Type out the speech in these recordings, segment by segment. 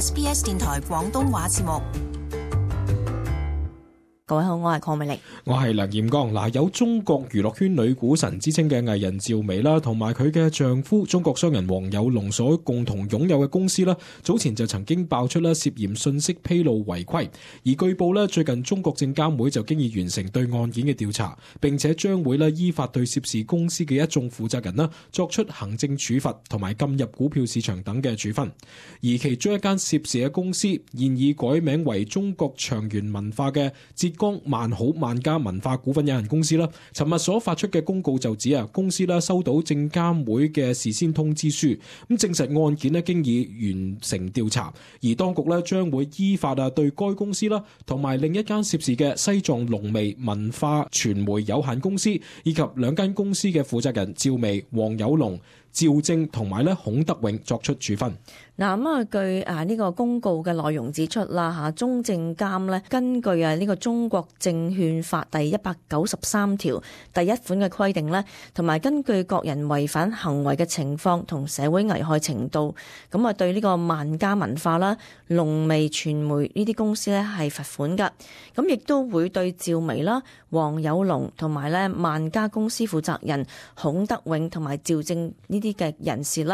SBS 電台廣東話節目。各位好，我係鄺美玲，我係梁彥剛。嗱，有中國娛樂圈女股神之稱嘅藝人趙薇啦，同埋佢嘅丈夫中國商人王有龍所共同擁有嘅公司啦，早前就曾經爆出啦涉嫌信息披露違規，而據報咧最近中國證監會就經已完成對案件嘅調查，並且將會咧依法對涉事公司嘅一眾負責人啦作出行政處罰同埋禁入股票市場等嘅處分。而其中一間涉事嘅公司現已改名為中國長源文化嘅浙江萬好萬家文化股份有限公司啦，尋日所發出嘅公告就指公司收到證監會嘅事先通知書，咁證實案件經已完成調查，而當局將會依法對該公司啦，同埋另一間涉事嘅西藏龍微文化傳媒有限公司，以及兩間公司嘅負責人趙薇、王有龍、趙正同埋孔德永作出處分。嗱，據呢個公告嘅內容指出啦，中證監根據呢個中國證券法第193條第1款嘅規定同埋根據各人違反行為嘅情況同社會危害程度，咁對呢個萬家文化啦、龍微傳媒呢啲公司係罰款㗎，咁亦都會對趙薇啦、王有龍同埋萬家公司負責人孔德永同埋趙正呢啲嘅人士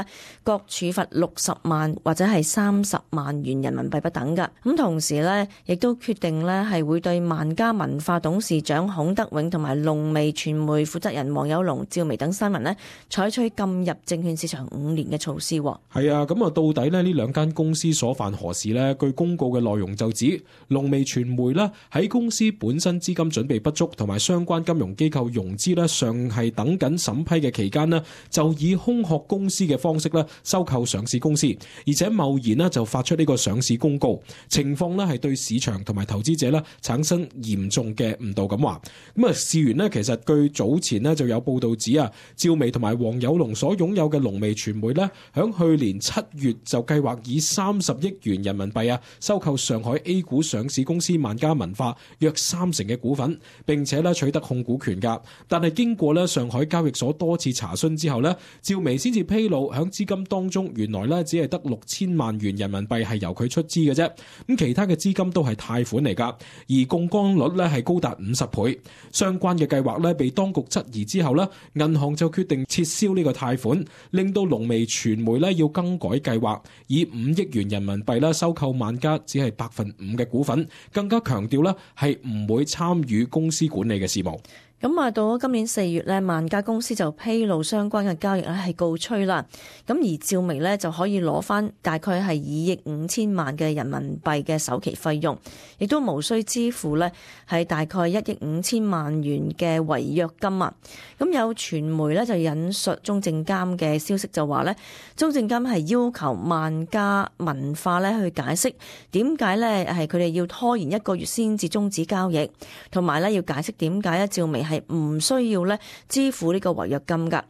各處罰60萬或者係30萬元人民幣不等㗎。咁同時亦都決定係會對萬家文化董事長孔德永同埋龍微傳媒負責人王有龍、趙薇等3人採取禁入證券市場5年嘅措施。係啊，咁到底呢兩間公司所犯何事呢？據公告嘅內容就指，龍微傳媒喺公司本身資金準備不足同埋相關金融機構融資尚係等緊審批嘅期間就以空殼公司嘅方式收購上市公司，而且貿然就發出呢個上市公告，情況係對市場同埋投資者產生嚴重嘅誤導咁話。咁事緣其實據早前就有報道指趙薇同埋王有龍所擁有嘅龍微傳媒響去年7月就計劃以30億元人民幣收購上海 A 股上市公司萬家文化約30%嘅股份，並且取得控股權㗎。但係經過上海交易所多次查詢之後趙薇先至披露響資金當中原來只係得6000萬元人民幣係由佢出資嘅啫，咁其他嘅資金都係貸款嚟㗎，而槓桿率係高達50倍。相關嘅計劃被當局質疑之後銀行就決定撤銷呢個貸款，令到龍微傳媒要更改計劃，以5億元人民幣收購萬家只係5%嘅股份，更加強調係唔會參與公司管理嘅事務。咁到咗今年4月萬家公司就披露相關嘅交易係告吹啦。咁而趙薇就可以攞翻大概係2億5千萬嘅人民幣嘅首期費用，亦都無需支付係大概1億5千萬元嘅違約金啊。咁有傳媒就引述中證監嘅消息就話中證監係要求萬家文化去解釋點解係佢哋要拖延1個月先至終止交易，同埋要解釋點解趙薇係唔需要支付呢個違約金㗎。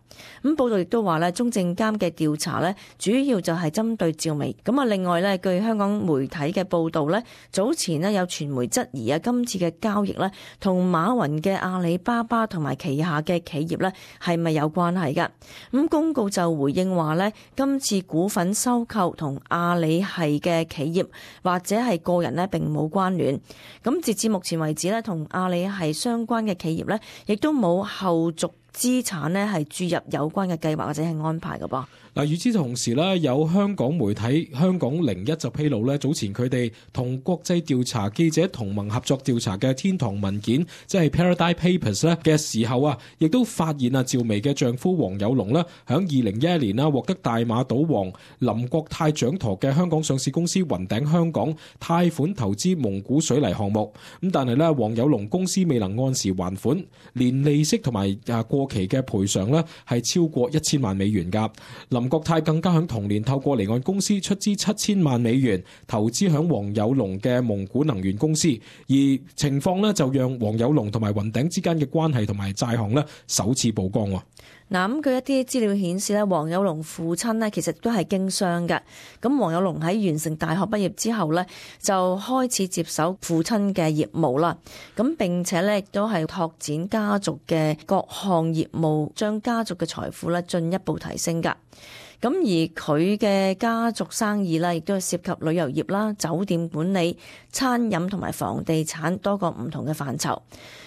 咁報道亦都話中證監嘅調查主要就係針對趙薇。咁另外據香港媒體嘅報道早前有傳媒質疑今次嘅交易同馬雲嘅阿里巴巴同埋旗下嘅企業係咪有關係㗎？咁公告就回應話今次股份收購同阿里系嘅企業或者係個人並冇關聯。咁截至目前為止同阿里系相關嘅企業亦都冇後續資產係注入有關嘅計劃或者係安排㗎噃。嗱，與此同時有香港媒體香港01就披露早前佢哋同國際調查記者同盟合作調查嘅天堂文件，即係 Paradise Papers 嘅時候亦都發現趙薇嘅丈夫王有龍響2011年獲得大馬賭王林國泰掌舵嘅香港上市公司雲頂香港貸款投資蒙古水泥項目，咁但係王有龍公司未能按時還款，連利息同埋過期嘅賠償係超過1000萬美元㗎。林國泰更加響同年透過離岸公司出資7000萬美元投資響王有龍嘅蒙古能源公司，而情況就讓王有龍同埋雲頂之間嘅關係同埋債項首次曝光。嗱，咁據一啲資料顯示王有龍父親其實都係經商嘅。咁王有龍喺完成大學畢業之後就開始接手父親嘅業務啦。咁並且亦都係拓展家族嘅各項業務，將家族嘅財富進一步提升㗎。咁而佢嘅家族生意啦，亦都涉及旅遊業啦、酒店管理、餐飲同埋房地產多個唔同嘅範疇。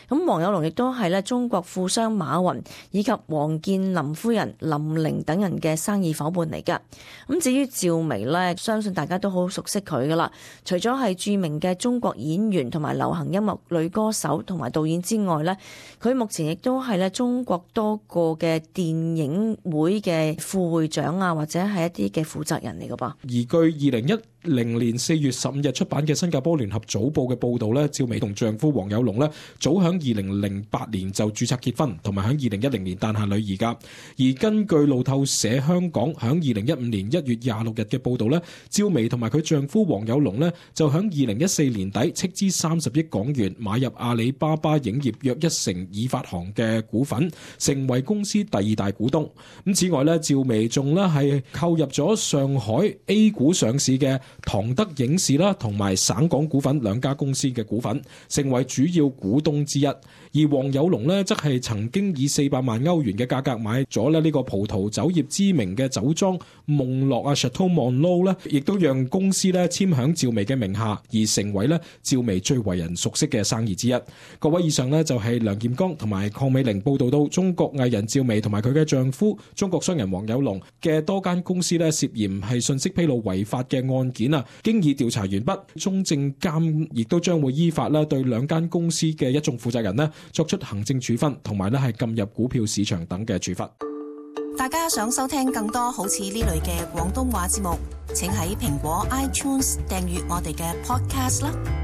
咁黃有龍亦都係咧中國富商馬雲以及王健林夫人林玲等人嘅生意夥伴嚟㗎。咁至於趙薇呢，相信大家都好熟悉佢噶啦。除咗係著名嘅中國演員同埋流行音樂女歌手同埋導演之外呢，佢目前亦都係咧中國多個嘅電影會嘅副會長啊，或者係一啲嘅負責人嚟㗎噃。而據2010年4月15日出版嘅新加坡聯合早報嘅報導咧，趙薇同丈夫黃有龍咧早響2008年就註冊結婚，同埋響2010年誕下女兒㗎。而根據路透社香港響2015年1月26日嘅報導咧，趙薇同埋佢丈夫黃有龍咧就響2014年底斥資30億港元買入阿里巴巴影業約1成已發行嘅股份，成為公司第2大股東。咁此外咧，趙薇仲咧係購入咗上海 A 股上市嘅唐德影視啦，同埋省港股份兩家公司嘅股份，成為主要股東之一。而黃有龍呢，則係曾經以400萬歐元嘅價格買咗呢個葡萄酒業知名嘅酒莊夢樂啊 Chateau Monlo 呢，亦都讓公司呢簽響趙薇嘅名下，而成為呢趙薇最為人熟悉嘅生意之一。各位，以上呢就係梁劍剛同埋鄺美玲報道到中國藝人趙薇同埋佢嘅丈夫中國商人黃有龍嘅多間公司呢涉嫌係信息披露違法嘅案件啊，經已調查完畢，中證監亦都將會依法啦對兩間公司嘅一眾負責人呢作出行政處分，同埋咧係禁入股票市場等嘅處罰。大家想收聽更多好似呢類嘅廣東話節目，請喺蘋果 iTunes 訂閱我哋嘅 podcast 啦。